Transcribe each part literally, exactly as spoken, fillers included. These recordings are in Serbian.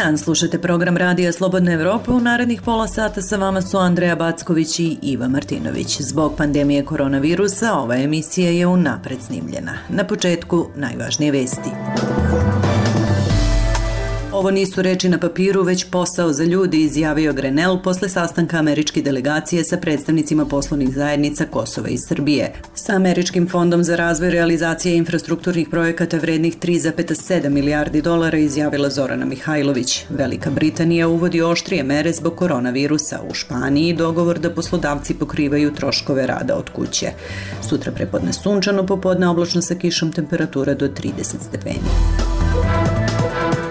dan, slušate program Radija Slobodna Evropa. U narednih pola sata sa vama su Andreja Backović i Iva Martinović. Zbog pandemije koronavirusa ova emisija je unapred snimljena. Na početku najvažnije vesti. Ovo nisu reči na papiru, već posao za ljudi, izjavio Grenell posle sastanka američke delegacije sa predstavnicima poslovnih zajednica Kosova i Srbije. Sa Američkim fondom za razvoj realizacije infrastrukturnih projekata vrednih tri zarez sedam milijardi dolara izjavila Zorana Mihajlović. Velika Britanija uvodi oštrije mere zbog koronavirusa. U Španiji dogovor da poslodavci pokrivaju troškove rada od kuće. Sutra prepodne sunčano, popodne oblačno sa kišom, temperatura do trideset stepeni.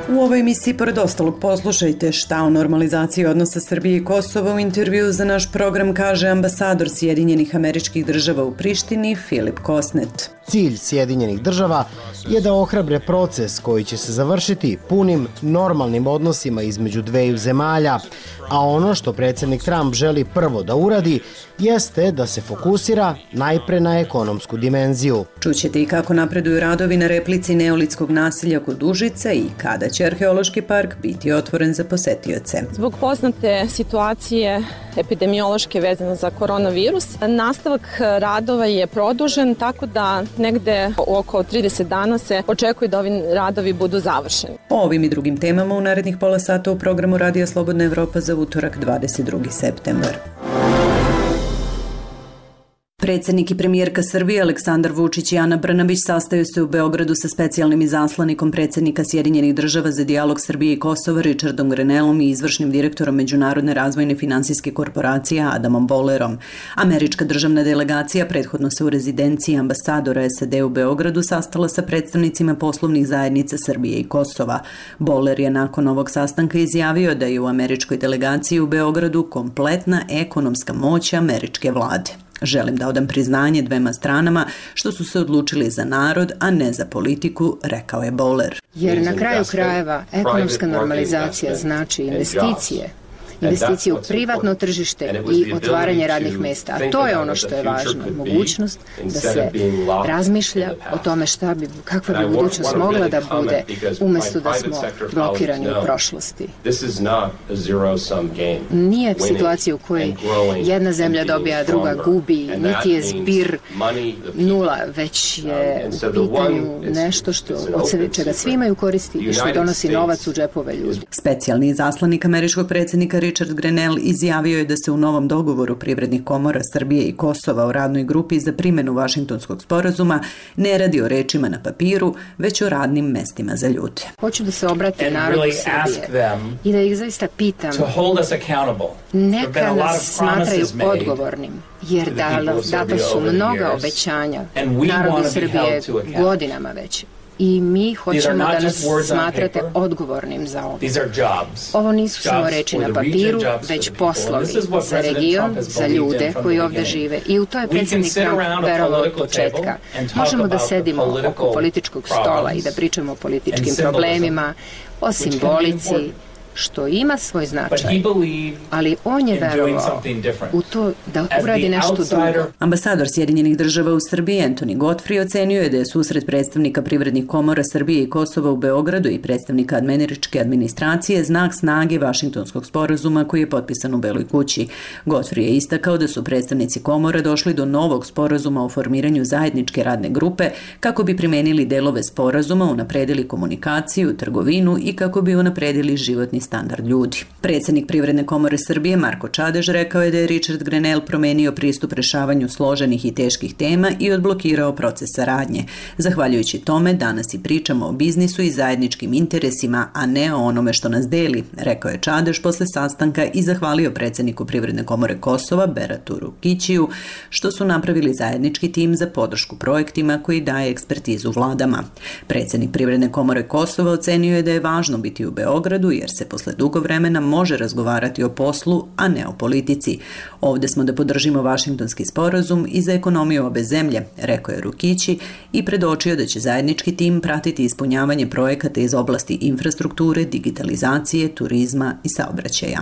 U ovoj emisiji, pored ostalog, poslušajte šta o normalizaciji odnosa Srbije i Kosova. U intervju za naš program kaže ambasador Sjedinjenih Američkih Država u Prištini, Filip Kosnet. Cilj Sjedinjenih Država je da ohrabre proces koji će se završiti punim normalnim odnosima između dveju zemalja, a ono što predsjednik Trump želi prvo da uradi jeste da se fokusira najpre na ekonomsku dimenziju. Čućete i kako napreduju radovi na replici neolitskog naselja kod Užica i kada će arheološki park biti otvoren za posetioce. Zbog poznate situacije epidemiološke vezane za koronavirus, nastavak radova je produžen, tako da negde oko trideset dana se očekuje da ovi radovi budu završeni. O ovim i drugim temama u narednih pola sata u programu Radija Slobodna Evropa za utorak dvadeset drugi septembar. Predsjednik i premijerka Srbije Aleksandar Vučić i Ana Brnabić sastaju se u Beogradu sa specijalnim izaslanikom predsjednika Sjedinjenih Država za dijalog Srbije i Kosova Richardom Grenellom i izvršnim direktorom Međunarodne razvojne finansijske korporacije Adamom Bollerom. Američka državna delegacija prethodno se u rezidenciji ambasadora S A D u Beogradu sastala sa predstavnicima poslovnih zajednica Srbije i Kosova. Boller je nakon ovog sastanka izjavio da je u američkoj delegaciji u Beogradu kompletna ekonomska moć američke vlade. Želim da odam priznanje dvema stranama što su se odlučili za narod, a ne za politiku, rekao je Boller. Jer na kraju krajeva ekonomska normalizacija znači investicije. Investicije u privatno tržište i otvaranje radnih mesta. A to je ono što je važno. Mogućnost da se razmišlja o tome šta bi, kakva bi budućnost mogla da bude umjesto da smo blokirani u prošlosti. Nije situacija u kojoj jedna zemlja dobija, a druga gubi, niti je zbir nula, već je u pitanju nešto što, od čega svi imaju koristi i što donosi novac u džepove ljudi. Specijalni izaslanik američkog predsjednika Richard Grenell izjavio je da se u novom dogovoru privrednih komora Srbije i Kosova o radnoj grupi za primjenu Vašingtonskog sporazuma ne radi o rečima na papiru, već o radnim mestima za ljude. Hoću da se obrati narodu Srbije i da ih zaista pitam, neka nas smatraju odgovornim, jer data su mnoga obećanja narodu Srbije godinama već. I mi hoćemo da nas smatrate odgovornim za ovo. Ovo nisu samo reči na papiru, već poslovi za region, za ljude koji ovde žive. I u to je predsjednik Trump verovao od početka. Možemo da sedimo oko političkog stola i da pričamo o političkim problemima, o simbolici, što ima svoj značaj, ali on je verovao u to da uradi nešto drugo. Ambasador Sjedinjenih Država u Srbiji Anthony Godfrey ocenio je da je susret predstavnika privrednih komora Srbije i Kosova u Beogradu i predstavnika američke administracije znak snage Vašingtonskog sporazuma koji je potpisan u Beloj kući. Godfrey je istakao da su predstavnici komora došli do novog sporazuma o formiranju zajedničke radne grupe kako bi primenili delove sporazuma, unapredili komunikaciju, trgovinu i kako bi unapredili životni standard ljudi. Predsjednik Privredne komore Srbije Marko Čadež rekao je da je Richard Grenell promenio pristup rešavanju složenih i teških tema i odblokirao proces saradnje. Zahvaljujući tome, danas i pričamo o biznisu i zajedničkim interesima, a ne o onome što nas deli, rekao je Čadež posle sastanka i zahvalio predsjedniku Privredne komore Kosova Beratu Rukićiju što su napravili zajednički tim za podršku projektima koji daje ekspertizu vladama. Predsjednik Privredne komore Kosova ocenio je da je važno biti u Beogradu jer se posle dugo vremena može razgovarati o poslu, a ne o politici. Ovde smo da podržimo Vašingtonski sporazum i za ekonomiju obe zemlje, rekao je Rukići i predočio da će zajednički tim pratiti ispunjavanje projekata iz oblasti infrastrukture, digitalizacije, turizma i saobraćaja.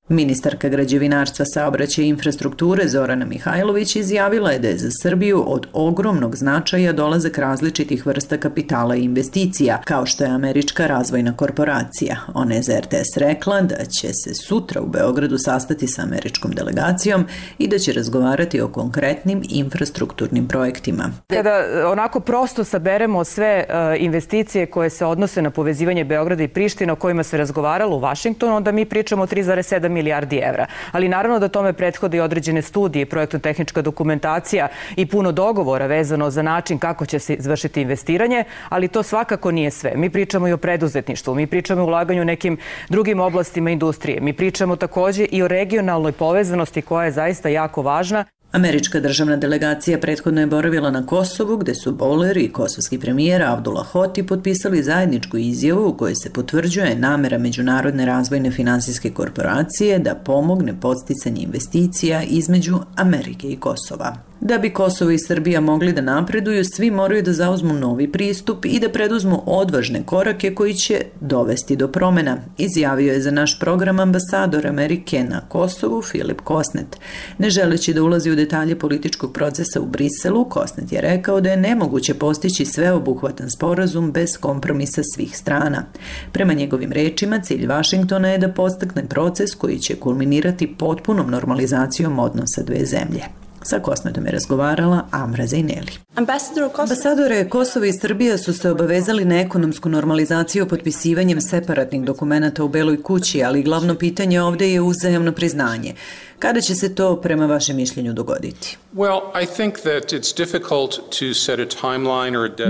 Ministarka građevinarstva, saobraćaja i infrastrukture Zorana Mihajlović izjavila je da je za Srbiju od ogromnog značaja dolazak različitih vrsta kapitala i investicija, kao što je Američka razvojna korporacija. Ona je za R T S rekla da će se sutra u Beogradu sastati sa američkom delegacijom i da će razgovarati o konkretnim infrastrukturnim projektima. Kada onako prosto saberemo sve investicije koje se odnose na povezivanje Beograda i Priština o kojima se razgovaralo u Vašingtonu, onda mi pričamo o tri zarez sedam milijardi evra. Ali naravno da tome prethode i određene studije, projektno-tehnička dokumentacija i puno dogovora vezano za način kako će se izvršiti investiranje, ali to svakako nije sve. Mi pričamo i o preduzetništvu, mi pričamo o ulaganju u nekim drugim oblastima industrije, mi pričamo takođe i o regionalnoj povezanosti koja je zaista jako važna. Američka državna delegacija prethodno je boravila na Kosovu, gde su Boler i kosovski premijer Abdullah Hoti potpisali zajedničku izjavu u kojoj se potvrđuje namera Međunarodne razvojne finansijske korporacije da pomogne podsticanje investicija između Amerike i Kosova. Da bi Kosovo i Srbija mogli da napreduju, svi moraju da zauzmu novi pristup i da preduzmu odvažne korake koji će dovesti do promena, izjavio je za naš program ambasador Amerike na Kosovu Filip Kosnet. Ne želeći da ulazi u detalje političkog procesa u Briselu, Kosnet je rekao da je nemoguće postići sveobuhvatan sporazum bez kompromisa svih strana. Prema njegovim rečima, cilj Vašingtona je da podstakne proces koji će kulminirati potpunom normalizacijom odnosa dve zemlje. Sa Kosnetom je razgovarala Amra Zejneli. Ambasadore, Kosovo i Srbija su se obavezali na ekonomsku normalizaciju potpisivanjem separatnih dokumenata u Beloj kući, ali glavno pitanje ovde je uzajamno priznanje. Kada će se to prema vašem mišljenju dogoditi?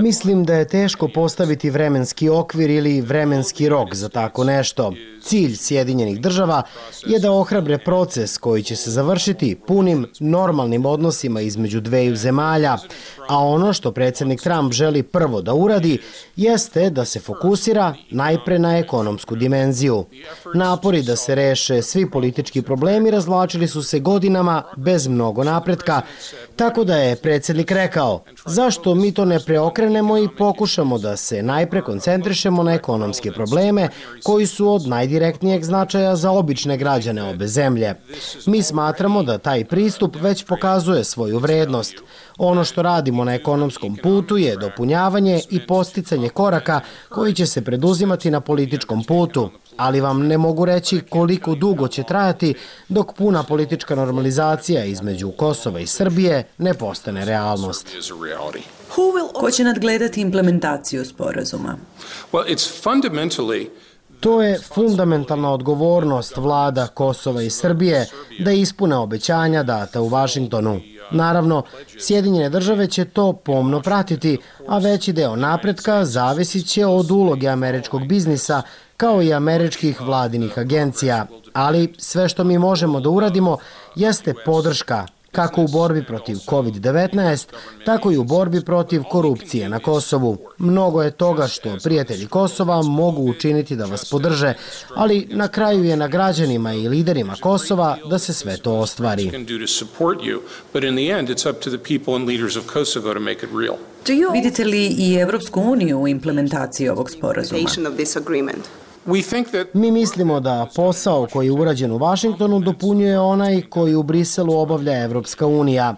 Mislim da je teško postaviti vremenski okvir ili vremenski rok za tako nešto. Cilj Sjedinjenih država je da ohrabre proces koji će se završiti punim normalnim odnosima između dveju zemalja, a ono što predsjednik Trump želi prvo da uradi jeste da se fokusira najpre na ekonomsku dimenziju. Napori da se reše svi politički problemi razvlačili su se godinama bez mnogo napretka, tako da je predsjednik rekao zašto mi to ne preokrenemo i pokušamo da se najpre koncentrišemo na ekonomske probleme koji su od najdirektnijeg značaja za obične građane obe zemlje. Mi smatramo da taj pristup već pokazuje svoju vrednost. Ono što radimo na ekonomskom putu je dopunjavanje i posticanje koraka koji će se preduzimati na političkom putu, ali vam ne mogu reći koliko dugo će trajati dok puna politička normalizacija između Kosova i Srbije ne postane realnost. Ko će nadgledati implementaciju sporazuma? To je fundamentalna odgovornost vlada Kosova i Srbije da ispune obećanja data u Vašingtonu. Naravno, Sjedinjene države će to pomno pratiti, a veći deo napretka zavisit će od uloge američkog biznisa kao i američkih vladinih agencija. Ali sve što mi možemo da uradimo jeste podrška, kako u borbi protiv kovid devetnaest, tako i u borbi protiv korupcije na Kosovu. Mnogo je toga što prijatelji Kosova mogu učiniti da vas podrže, ali na kraju je na građanima i liderima Kosova da se sve to ostvari. Vidite li i Evropsku uniju u implementaciji ovog sporazuma? Mi mislimo da posao koji je urađen u Vašingtonu dopunjuje onaj koji u Briselu obavlja Evropska unija.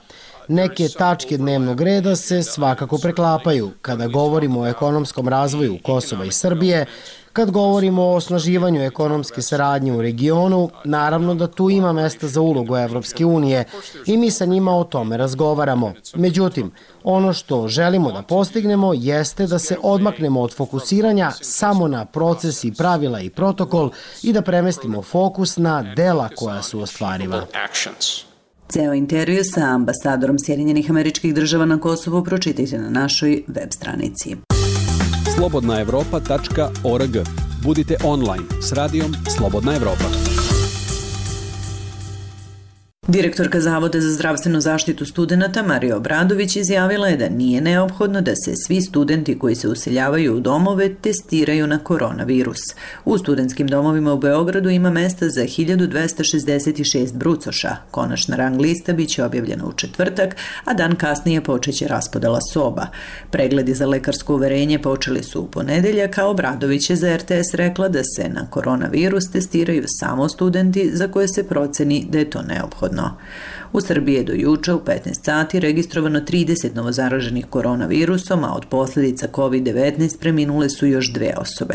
Neke tačke dnevnog reda se svakako preklapaju. Kada govorimo o ekonomskom razvoju Kosova i Srbije, kad govorimo o osnaživanju ekonomske saradnje u regionu, naravno da tu ima mesta za ulogu Evropske unije i mi sa njima o tome razgovaramo. Međutim, ono što želimo da postignemo jeste da se odmaknemo od fokusiranja samo na proces i pravila i protokol i da premestimo fokus na dela koja su ostvariva. Ceo intervju sa ambasadorom Sjedinjenih Američkih Država na Kosovu pročitajte na našoj web stranici. slobodna evropa tačka org. Budite online s radijom Slobodna Evropa. Direktorka Zavoda za zdravstvenu zaštitu studenata Marija Obradović izjavila je da nije neophodno da se svi studenti koji se useljavaju u domove testiraju na koronavirus. U studentskim domovima u Beogradu ima mesta za hiljadu dvesta šezdeset šest brucoša. Konačna rang lista biće objavljena u četvrtak, a dan kasnije počeće raspodela soba. Pregledi za lekarsko uverenje počeli su u ponedeljak, a Obradović je za er te es rekla da se na koronavirus testiraju samo studenti za koje se proceni da je to neophodno. U Srbiji je do juče u petnaest sati registrovano trideset novozaraženih koronavirusom, a od posljedica kovid devetnaest preminule su još dve osobe.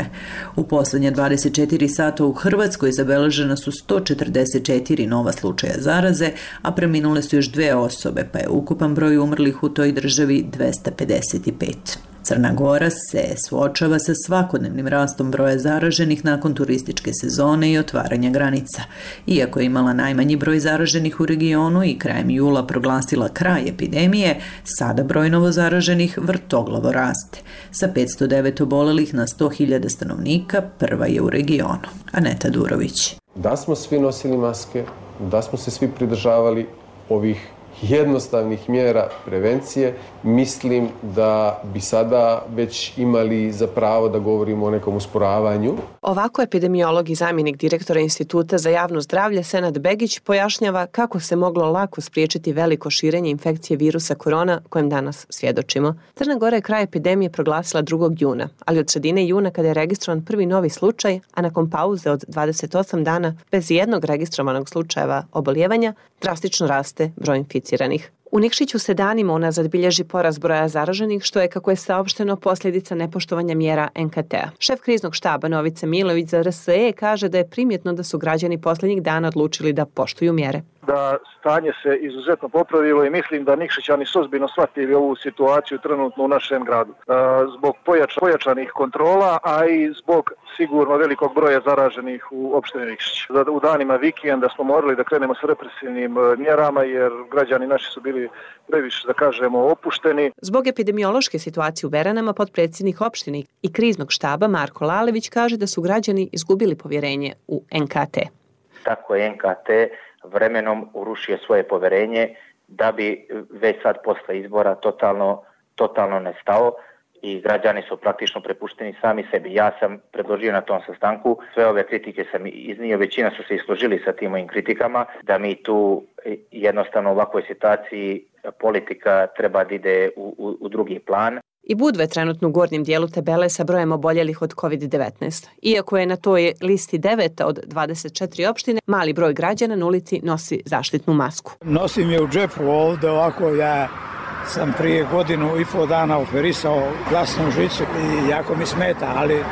U posljednje dvadeset četiri sata u Hrvatskoj zabeležena su sto četrdeset četiri nova slučaja zaraze, a preminule su još dve osobe, pa je ukupan broj umrlih u toj državi dvesta pedeset pet. Crna Gora se suočava sa svakodnevnim rastom broja zaraženih nakon turističke sezone i otvaranja granica. Iako je imala najmanji broj zaraženih u regionu i krajem jula proglasila kraj epidemije, sada broj novozaraženih vrtoglavo raste. Sa petsto devet obolelih na sto hiljada stanovnika prva je u regionu. Aneta Durović. Da smo svi nosili maske, da smo se svi pridržavali ovih jednostavnih mjera prevencije, mislim da bi sada već imali za pravo da govorimo o nekom usporavanju. Ovako epidemiolog i zamjenik direktora Instituta za javno zdravlje Senad Begić pojašnjava kako se moglo lako spriječiti veliko širenje infekcije virusa korona kojem danas svjedočimo. Crna Gora je kraj epidemije proglasila drugog juna, ali od sredine juna kada je registrovan prvi novi slučaj, a nakon pauze od dvadeset osam dana bez jednog registrovanog slučajeva oboljevanja, drastično raste broj inficiranih. U Nikšiću se danima unazad bilježi porast broja zaraženih, što je, kako je saopšteno, posljedica nepoštovanja mjera en ka te a. Šef kriznog štaba Novica Milović za er es e kaže da je primjetno da su građani posljednjih dana odlučili da poštuju mjere. Da stanje se izuzetno popravilo i mislim da Nikšićani su ozbiljno shvatili ovu situaciju trenutno u našem gradu. Zbog pojača, pojačanih kontrola, a i zbog sigurno velikog broja zaraženih u opštini Nikšić. U danima vikenda smo morali da krenemo s represivnim mjerama jer građani naši su bili previše, da kažemo, opušteni. Zbog epidemiološke situacije u Beranama, potpredsjednik opštine i kriznog štaba Marko Lalević kaže da su građani izgubili povjerenje u en ka te. Tako je en ka te vremenom urušio svoje povjerenje da bi već sad posle izbora totalno, totalno nestao i građani su praktično prepušteni sami sebi. Ja sam predložio na tom sastanku, sve ove kritike sam iznio, većina su se i složili sa tim mojim kritikama, da mi tu jednostavno u ovakvoj situaciji politika treba da ide u, u, u drugi plan. I Budva trenutno u gornjem dijelu tabele sa brojem oboljelih od kovid devetnaest. Iako je na toj listi deveta od dvadeset četiri opštine, mali broj građana na ulici nosi zaštitnu masku. Nosim je u džepu ovdje, ovako ja sam prije godinu i pol dana operisao glasnu žicu i jako mi smeta, ali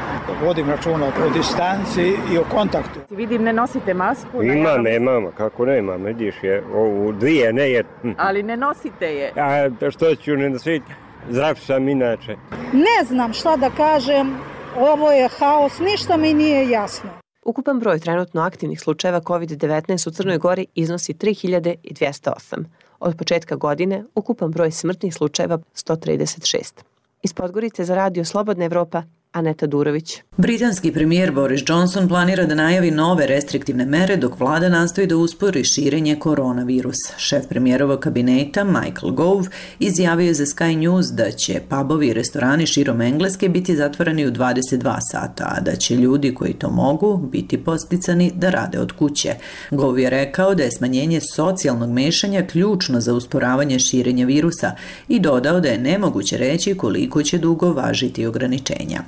vodim računa o distanci i o kontaktu. Vidim, ne nosite masku? Imam, nemam, kako nemam, vidiš je, ovu dvije ne je. Ali ne nosite je? A što ću ne nositi? Zdrav sam inače. Ne znam šta da kažem, ovo je haos, ništa mi nije jasno. Ukupan broj trenutno aktivnih slučajeva kovid devetnaest u Crnoj Gori iznosi tri hiljade dvjesto osam. Od početka godine ukupan broj smrtnih slučajeva sto trideset šest. Iz Podgorice za Radio Slobodna Evropa, Aneta Durović. Britanski premijer Boris Johnson planira da najavi nove restriktivne mere dok vlada nastoji da uspori širenje koronavirusa. Šef premijerovog kabineta Michael Gove izjavio je za Sky News da će pubovi i restorani širom Engleske biti zatvoreni u dvadeset dva sata, a da će ljudi koji to mogu biti podsticani da rade od kuće. Gove je rekao da je smanjenje socijalnog mešanja ključno za usporavanje širenja virusa i dodao da je nemoguće reći koliko će dugo važiti ograničenja.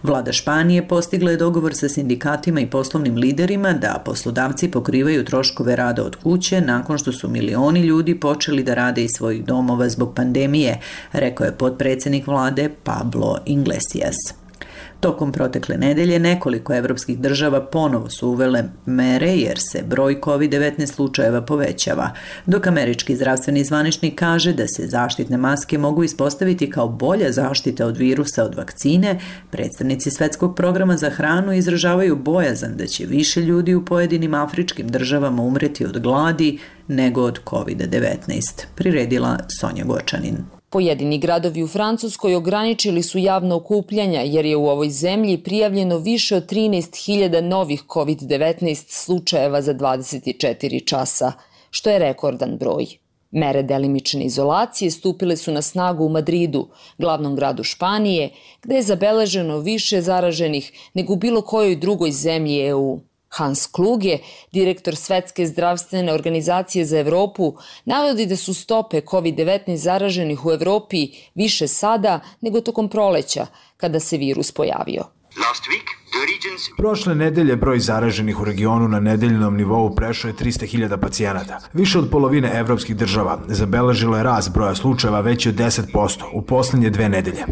Vlada Španije postigla je dogovor sa sindikatima i poslovnim liderima da poslodavci pokrivaju troškove rada od kuće nakon što su milioni ljudi počeli da rade iz svojih domova zbog pandemije, rekao je potpredsjednik vlade Pablo Iglesias. Tokom protekle nedelje nekoliko evropskih država ponovo su uvele mere jer se broj kovid devetnaest slučajeva povećava, dok američki zdravstveni zvaničnik kaže da se zaštitne maske mogu ispostaviti kao bolja zaštita od virusa od vakcine. Predstavnici Svetskog programa za hranu izražavaju bojazan da će više ljudi u pojedinim afričkim državama umreti od gladi nego od kovid devetnaest, priredila Sonja Gočanin. Pojedini gradovi u Francuskoj ograničili su javna okupljanja jer je u ovoj zemlji prijavljeno više od trinaest hiljada novih kovid devetnaest slučajeva za dvadeset četiri časa. što je rekordan broj. Mere delimične izolacije stupile su na snagu u Madridu, glavnom gradu Španije, gde je zabeleženo više zaraženih nego u bilo kojoj drugoj zemlji E U. Hans Kluge, direktor Svetske zdravstvene organizacije za Evropu, navodi da su stope kovid devetnaest zaraženih u Evropi više sada nego tokom proleća, kada se virus pojavio. Prošle nedelje broj zaraženih u regionu na nedeljnom nivou prešao je trista hiljada pacijenata. Više od polovine evropskih država zabeležilo je rast broja slučajeva veći od deset posto u poslednje dve nedelje.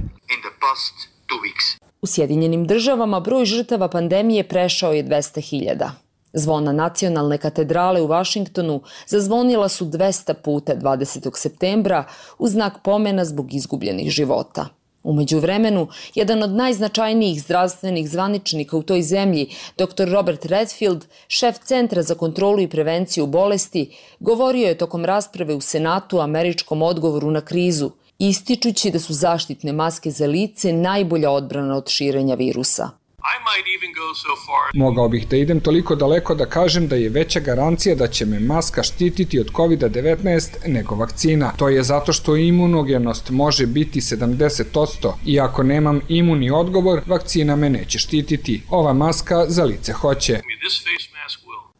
U Sjedinjenim državama broj žrtava pandemije prešao je dvesta hiljada. Zvona nacionalne katedrale u Vašingtonu zazvonila su dvesta puta dvadesetog septembra u znak pomena zbog izgubljenih života. Umeđu vremenu, jedan od najznačajnijih zdravstvenih zvaničnika u toj zemlji, doktor Robert Redfield, šef Centra za kontrolu i prevenciju bolesti, govorio je tokom rasprave u Senatu o američkom odgovoru na krizu, ističući da su zaštitne maske za lice najbolja odbrana od širenja virusa. Mogao bih da idem toliko daleko da kažem da je veća garancija da će me maska štititi od kovid devetnaest nego vakcina. To je zato što imunogenost može biti sedamdeset posto i ako nemam imunni odgovor, vakcina me neće štititi. Ova maska za lice hoće.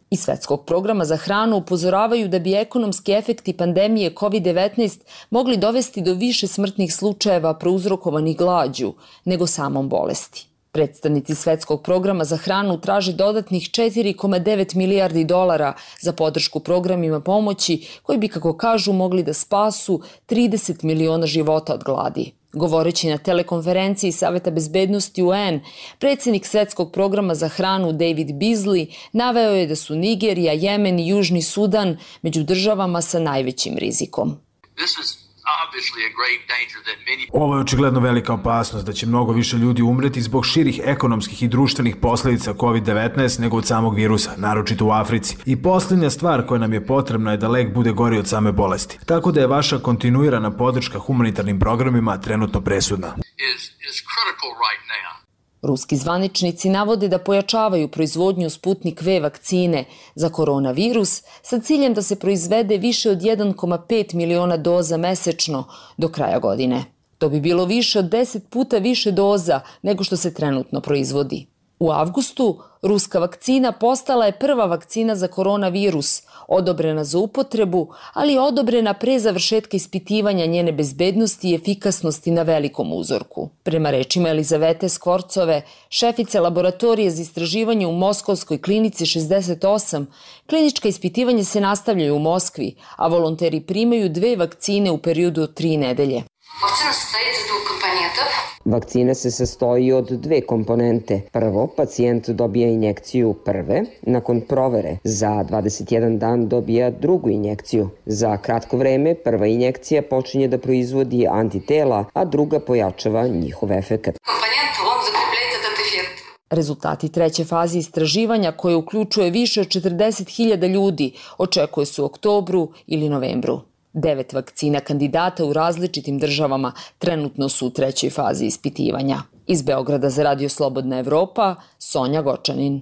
Iz Svetskog programa za hranu upozoravaju da bi ekonomski efekti pandemije kovid devetnaest mogli dovesti do više smrtnih slučajeva prouzrokovanih glađu nego samom bolesti. Predstavnici Svetskog programa za hranu traže dodatnih četiri zarez devet milijardi dolara za podršku programima pomoći koji bi, kako kažu, mogli da spasu trideset miliona života od gladi. Govoreći na telekonferenciji Saveta bezbednosti U N, predsjednik Svetskog programa za hranu David Beasley naveo je da su Nigerija, Jemen i Južni Sudan među državama sa najvećim rizikom. Ovo je očigledno velika opasnost da će mnogo više ljudi umreti zbog širih ekonomskih i društvenih posledica kovid devetnaest nego od samog virusa, naročito u Africi. I posljednja stvar koja nam je potrebna je da lek bude gori od same bolesti. Tako da je vaša kontinuirana podrška humanitarnim programima trenutno presudna. Ruski zvaničnici navode da pojačavaju proizvodnju Sputnik V vakcine za koronavirus sa ciljem da se proizvede više od jedan zarez pet miliona doza mesečno do kraja godine. To bi bilo više od deset puta više doza nego što se trenutno proizvodi. U avgustu ruska vakcina postala je prva vakcina za koronavirus, odobrena za upotrebu, ali je odobrena pre završetka ispitivanja njene bezbednosti i efikasnosti na velikom uzorku. Prema rečima Elizavete Skvorcove, šefice laboratorije za istraživanje u Moskovskoj klinici šezdeset osam, klinička ispitivanja se nastavljaju u Moskvi, a volonteri primaju dve vakcine u periodu od tri nedelje. Vakcina se sastoji od dve komponente. Prvo, pacijent dobija injekciju prve, nakon provere za dvadeset jedan dan dobija drugu injekciju. Za kratko vreme prva injekcija počinje da proizvodi antitela, a druga pojačava njihov efekat. Rezultati treće faze istraživanja, koje uključuje više od četrdeset hiljada ljudi, očekuje se u oktobru ili novembru. Devet vakcina kandidata u različitim državama trenutno su u trećoj fazi ispitivanja. Iz Beograda za Radio Slobodna Evropa, Sonja Gočanin.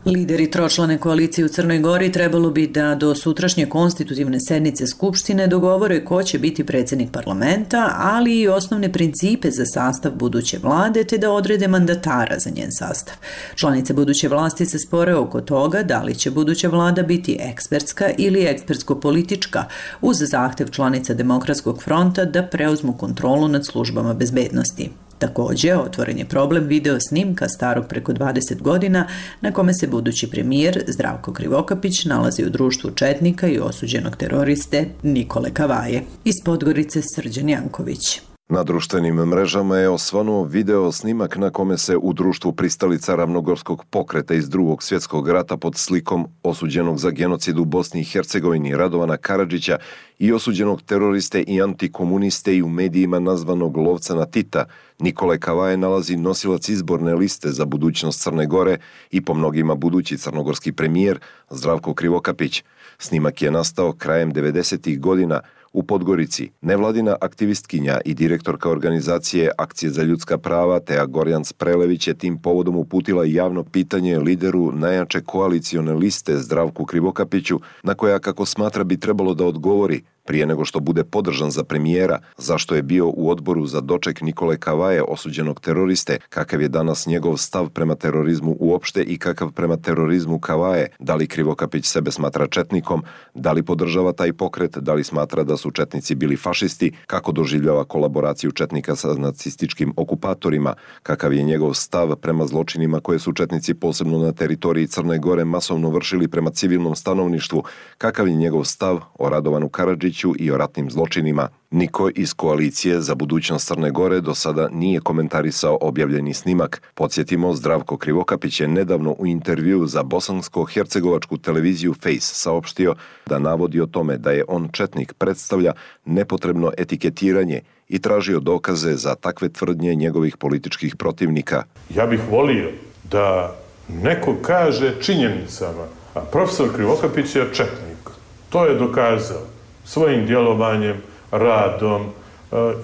Lideri tročlane koalicije u Crnoj Gori trebalo bi da do sutrašnje konstitutivne sednice Skupštine dogovore ko će biti predsjednik parlamenta, ali i osnovne principe za sastav buduće vlade, te da odrede mandatara za njen sastav. Članice buduće vlasti se spore oko toga da li će buduća vlada biti ekspertska ili ekspertsko-politička, uz zahtev članica Demokratskog fronta da preuzmu kontrolu nad službama bezbednosti. Također, otvoren je problem video snimka starog preko dvadeset godina na kome se budući premijer Zdravko Krivokapić nalazi u društvu četnika i osuđenog teroriste Nikole Kavaje. Iz Podgorice Srđan Janković. Na društvenim mrežama je osvanuo video snimak na kome se u društvu pristalica Ravnogorskog pokreta iz drugog svjetskog rata pod slikom osuđenog za genocid u Bosni i Hercegovini Radovana Karadžića i osuđenog teroriste i antikomuniste i u medijima nazvanog lovca na Tita Nikole Kavaje nalazi nosilac izborne liste za budućnost Crne Gore i po mnogima budući crnogorski premijer Zdravko Krivokapić. Snimak je nastao krajem devedesetih godina u Podgorici. Nevladina aktivistkinja i direktorka organizacije Akcije za ljudska prava Teja Gorjan Sprelević je tim povodom uputila javno pitanje lideru najjače koalicione liste Zdravku Krivokapiću, na koja, kako smatra, bi trebalo da odgovori prije nego što bude podržan za premijera, zašto je bio u odboru za doček Nikole Kavaje, osuđenog teroriste, kakav je danas njegov stav prema terorizmu uopšte i kakav prema terorizmu Kavaje, da li Krivokapić sebe smatra četnikom, da li podržava taj pokret, da li smatra da su četnici bili fašisti, kako doživljava kolaboraciju četnika sa nacističkim okupatorima, kakav je njegov stav prema zločinima koje su četnici posebno na teritoriji Crne Gore masovno vršili prema civilnom stanovništvu, kakav je njegov stav o Radovanu Karadžiću i o ratnim zločinima. Niko iz koalicije za budućnost Crne Gore do sada nije komentarisao objavljeni snimak. Podsjetimo, Zdravko Krivokapić je nedavno u intervju za bosansko-hercegovačku televiziju Face saopštio da navodi o tome da je on četnik predstavlja nepotrebno etiketiranje i tražio dokaze za takve tvrdnje njegovih političkih protivnika. Ja bih volio da neko kaže činjenicama, a profesor Krivokapić je četnik. To je dokazao svojim djelovanjem, radom,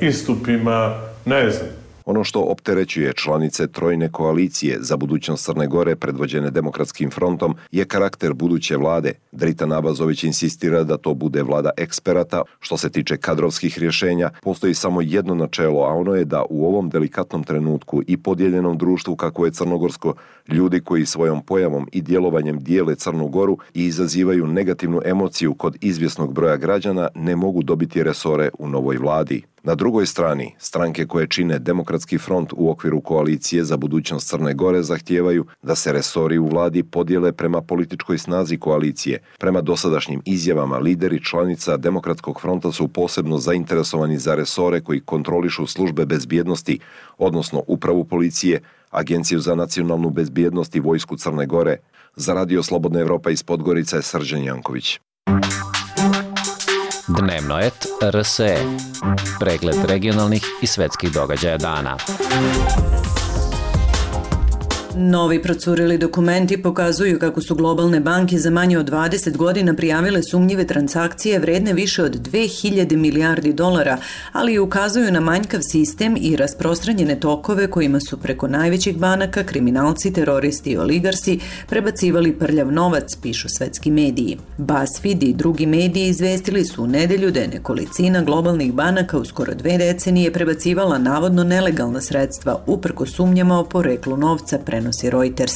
istupima, ne znam. Ono što opterećuje članice trojne koalicije za budućnost Crne Gore predvođene Demokratskim frontom je karakter buduće vlade. Dritan Abazović insistira da to bude vlada eksperata. Što se tiče kadrovskih rješenja, postoji samo jedno načelo, a ono je da u ovom delikatnom trenutku i podijeljenom društvu kako je crnogorsko, ljudi koji svojom pojavom i djelovanjem dijele Crnu Goru i izazivaju negativnu emociju kod izvjesnog broja građana ne mogu dobiti resore u novoj vladi. Na drugoj strani, stranke koje čine Demokratski front u okviru koalicije za budućnost Crne Gore zahtijevaju da se resori u vladi podijele prema političkoj snazi koalicije. Prema dosadašnjim izjavama, lideri članica Demokratskog fronta su posebno zainteresovani za resore koji kontrolišu službe bezbjednosti, odnosno upravu policije, Agenciju za nacionalnu bezbjednost i vojsku Crne Gore. Za Radio Slobodna Evropa iz Podgorice je Srđan Janković. Dnevnoet R S E. Pregled regionalnih i svetskih događaja dana. Novi procurili dokumenti pokazuju kako su globalne banke za manje od dvadeset godina prijavile sumnjive transakcije vredne više od dve hiljade milijardi dolara, ali i ukazuju na manjkav sistem i rasprostranjene tokove kojima su preko najvećih banaka kriminalci, teroristi i oligarsi prebacivali prljav novac, pišu svetski mediji. BuzzFeed i drugi mediji izvestili su u nedelju da je nekolicina globalnih banaka u skoro dve decenije prebacivala navodno nelegalna sredstva uprko sumnjama o poreklu novca, prenosi Reuters.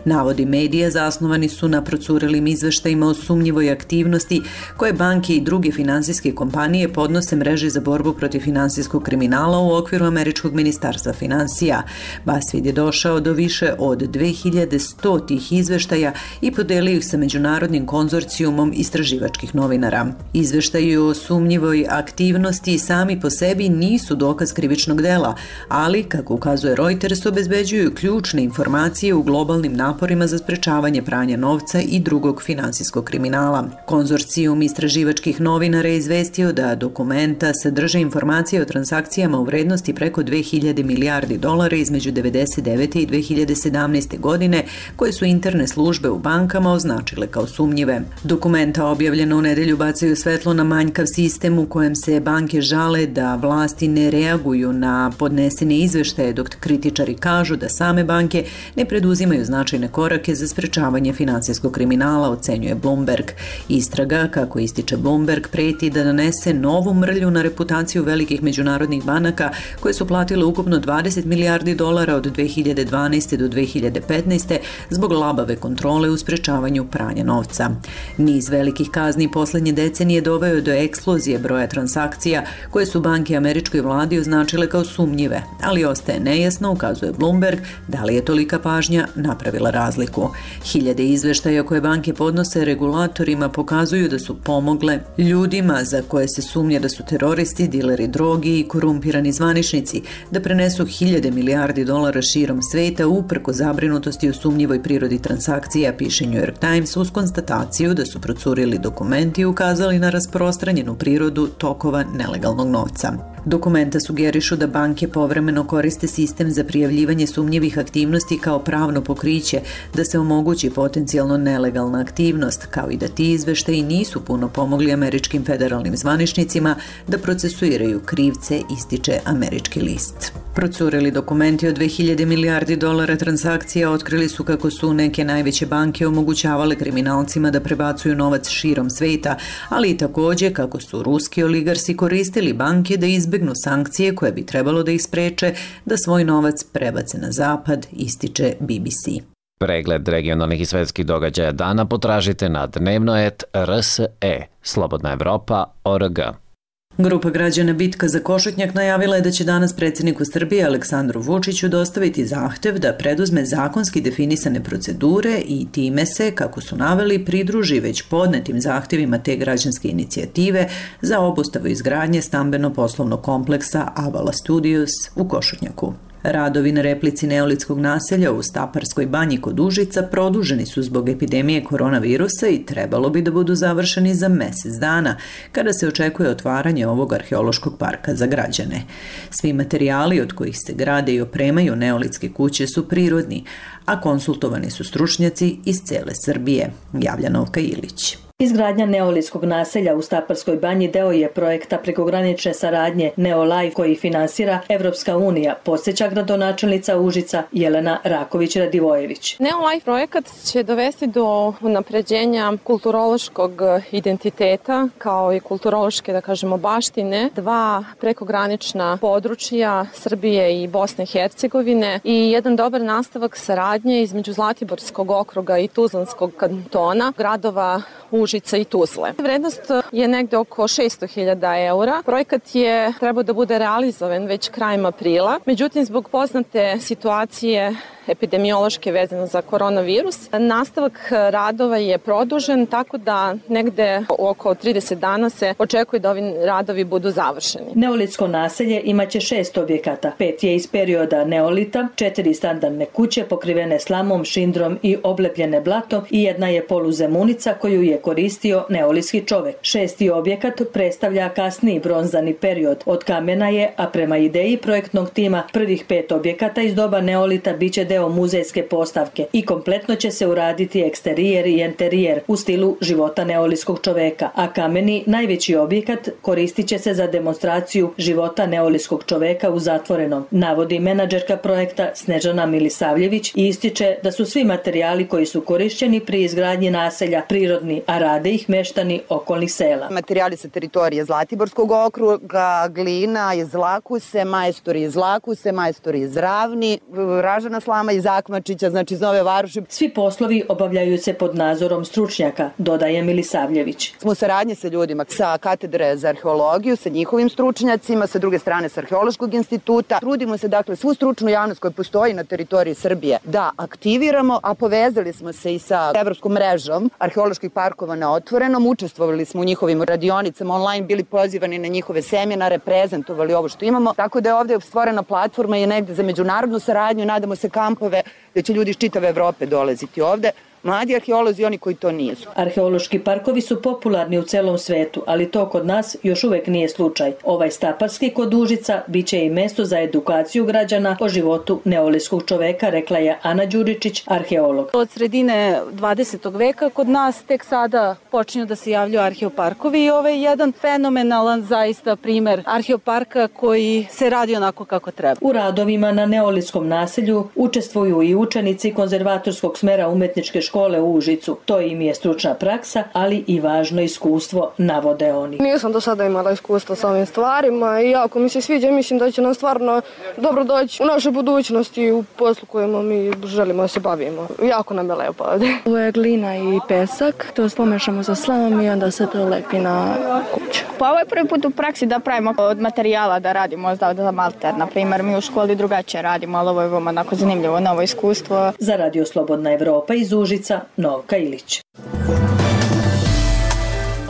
Navodi medija zasnovani su na procurilim izveštajima o sumnjivoj aktivnosti koje banke i druge finansijske kompanije podnose mreži za borbu protiv finansijskog kriminala u okviru Američkog ministarstva finansija. BuzzFeed je došao do više od dve hiljade sto tih izveštaja i podelio ih sa međunarodnim konzorcijumom istraživačkih novinara. Izveštaji o sumnjivoj aktivnosti sami po sebi nisu dokaz krivičnog dela, ali, kako ukazuje Reuters, obezbeđuju ključne informacije u globalnim naporima za sprečavanje pranja novca i drugog finansijskog kriminala. Konzorcijum istraživačkih novinara je izvestio da dokumenta sadrže informacije o transakcijama u vrednosti preko dve hiljade milijardi dolara između devedeset devete i dve hiljade sedamnaeste. godine, koje su interne službe u bankama označile kao sumnjive. Dokumenta objavljena u nedelju bacaju svetlo na manjkav sistem u kojem se banke žale da vlasti ne reaguju na podnesene izveštaje, dok kritičari kažu da same banke ne preduzimaju značajne korake za sprečavanje finansijskog kriminala, ocenjuje Bloomberg. Istraga, kako ističe Bloomberg, preti da donese novu mrlju na reputaciju velikih međunarodnih banaka koje su platile ukupno dvadeset milijardi dolara od dve hiljade dvanaeste. do dve hiljade petnaeste. zbog labave kontrole u sprečavanju pranja novca. Niz velikih kazni poslednje decenije doveo do eksplozije broja transakcija koje su banke američkoj vladi označile kao sumnjive, ali ostaje nejasno, ukazuje Bloomberg, da li je tolika pažnja napravila razliku. Hiljade izveštaja koje banke podnose regulatorima pokazuju da su pomogle ljudima za koje se sumnja da su teroristi, dileri drogi i korumpirani zvaničnici da prenesu hiljade milijardi dolara širom sveta uprko zabrinutosti o sumnjivoj prirodi transakcija, piše New York Times, uz konstataciju da su procurili dokumenti i ukazali na rasprostranjenu prirodu tokova nelegalnog novca. Dokumenta sugerišu da banke povremeno koriste sistem za prijavljivanje sumnjivih aktivnosti kao pravno pokriće, da se omogući potencijalno nelegalna aktivnost, kao i da ti izveštaji nisu puno pomogli američkim federalnim zvaničnicima da procesuiraju krivce, ističe američki list. Procureli dokumenti od dve hiljade milijardi dolara transakcija otkrili su kako su neke najveće banke omogućavale kriminalcima da prebacuju novac širom sveta, ali i takođe kako su ruski oligarsi koristili banke da izbegnu sankcije koje bi trebalo da ih spreče da svoj novac prebace na zapad, ističe B B C. Pregled regionalnih i svetskih događaja dana potražite na dnevnoet R S E, Slobodna Evropa, O R G. Grupa građana Bitka za Košutnjak najavila je da će danas predsjedniku Srbije Aleksandru Vučiću dostaviti zahtev da preduzme zakonski definisane procedure i time se, kako su naveli, pridruži već podnetim zahtevima te građanske inicijative za obustavu izgradnje stambeno-poslovnog kompleksa Avala Studios u Košutnjaku. Radovi na replici neolitskog naselja u Staparskoj banji kod Užica produženi su zbog epidemije koronavirusa i trebalo bi da budu završeni za mesec dana, kada se očekuje otvaranje ovog arheološkog parka za građane. Svi materijali od kojih se grade i opremaju neolitske kuće su prirodni, a konsultovani su stručnjaci iz cele Srbije, javlja Novka Ilić. Izgradnja neolitskog naselja u Staparskoj banji deo je projekta prekogranične saradnje NeoLife koji finansira Evropska unija, podsjeća gradonačelnica Užica Jelena Raković-Radivojević. NeoLife projekat će dovesti do unapređenja kulturološkog identiteta kao i kulturološke, da kažemo, baštine dva prekogranična područja Srbije i Bosne i Hercegovine i jedan dobar nastavak saradnje između Zlatiborskog okruga i Tuzlanskog kantona, gradova Užica i Tuzle. Vrednost je negde oko šesto hiljada eura. Projekat je trebao da bude realizovan već krajem aprila. Međutim, zbog poznate situacije epidemiološke vezano za koronavirus, nastavak radova je produžen, tako da negde oko trideset dana se očekuje da ovi radovi budu završeni. Neolitsko naselje imaće šest objekata. Pet je iz perioda neolita, četiri standardne kuće pokrivene slamom, šindrom i oblepljene blatom i jedna je poluzemunica koju je koristio neolitski čovek. Šesti objekat predstavlja kasniji bronzani period. Od kamena je, a prema ideji projektnog tima, prvih pet objekata iz doba neolita biće deo muzejske postavke i kompletno će se uraditi eksterijer i enterijer u stilu života neolitskog čoveka, a kameni, najveći objekat, koristit će se za demonstraciju života neolitskog čoveka u zatvorenom, navodi menadžerka projekta Snežana Milisavljević i ističe da su svi materijali koji su korišćeni pri izgradnji naselja prirodni, a rade ih meštani okolnih sela. Materijali sa teritorije Zlatiborskog okruga, glina iz Lakuse, majstori iz Lakuse, majstori iz Ravni, ražana slama iz Akmačića, znači iz Nove Varoši. Svi poslovi obavljaju se pod nadzorom stručnjaka, dodaje Milisavljević. Smo u saradnji sa ljudima sa katedre za arheologiju, sa njihovim stručnjacima, sa druge strane sa Arheološkog instituta. Trudimo se, dakle, svu stručnu javnost koja postoji na teritoriji Srbije da aktiviramo, a povezali smo se i sa evropskom mrežom arheoloških parkova na otvorenom. Učestvovali smo u njihovim radionicama online, bili pozivani na njihove seminare, prezentovali ovo što imamo. Tako da je ovde stvorena platforma je negde za međunarodnu saradnju, nadamo se kampove da će ljudi iz čitave Evrope dolaziti ovde. Mladi arheolozi i oni koji to nisu. Arheološki parkovi su popularni u celom svetu, ali to kod nas još uvek nije slučaj. Ovaj Staparski kod Užica biće i mesto za edukaciju građana o životu neolitskog čoveka, rekla je Ana Đuričić, arheolog. Od sredine dvadesetog veka kod nas tek sada počinju da se javljaju arheoparkovi i ovo je jedan fenomenalan zaista primer arheoparka koji se radi onako kako treba. U radovima na neolitskom naselju učestvuju i učenici konzervatorskog smera umetničke škole u Užicu. To im je stručna praksa, ali i važno iskustvo, navode oni. Nisam do sada imala iskustva sa ovim stvarima i jako mi se sviđa, mislim da će nam stvarno dobro doći u našoj budućnosti i u poslu kojima mi želimo da se bavimo. Jako nam je lepo ovdje. Ovo je glina i pesak, to pomešamo sa slamom i onda se to lepi na kuću. Pa ovo je prvi put u praksi da pravimo od materijala, da radimo za malter. Na primjer, mi u školi drugačije radimo, ali ovo je veoma onako zanimljivo, novo iskustvo. Za Radio Slobodna Evropa iz Užica, Novka Ilić.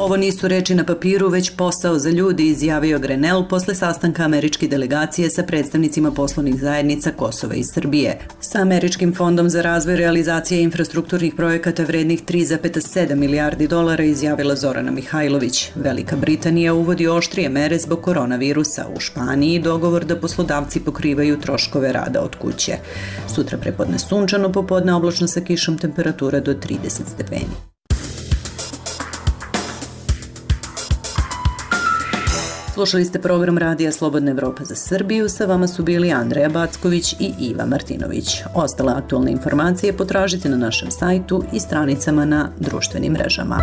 Ovo nisu reči na papiru, već posao za ljudi, izjavio Grenell posle sastanka američke delegacije sa predstavnicima poslovnih zajednica Kosova i Srbije. Sa Američkim fondom za razvoj realizacije infrastrukturnih projekata vrednih tri zarez sedam milijardi dolara izjavila Zorana Mihajlović. Velika Britanija uvodi oštrije mere zbog koronavirusa. U Španiji dogovor da poslodavci pokrivaju troškove rada od kuće. Sutra prepodne sunčano, popodne oblačno sa kišom, temperatura do trideset stepeni. Slušali ste program Radija Slobodna Evropa za Srbiju, sa vama su bili Andreja Backović i Iva Martinović. Ostale aktualne informacije potražite na našem sajtu i stranicama na društvenim mrežama.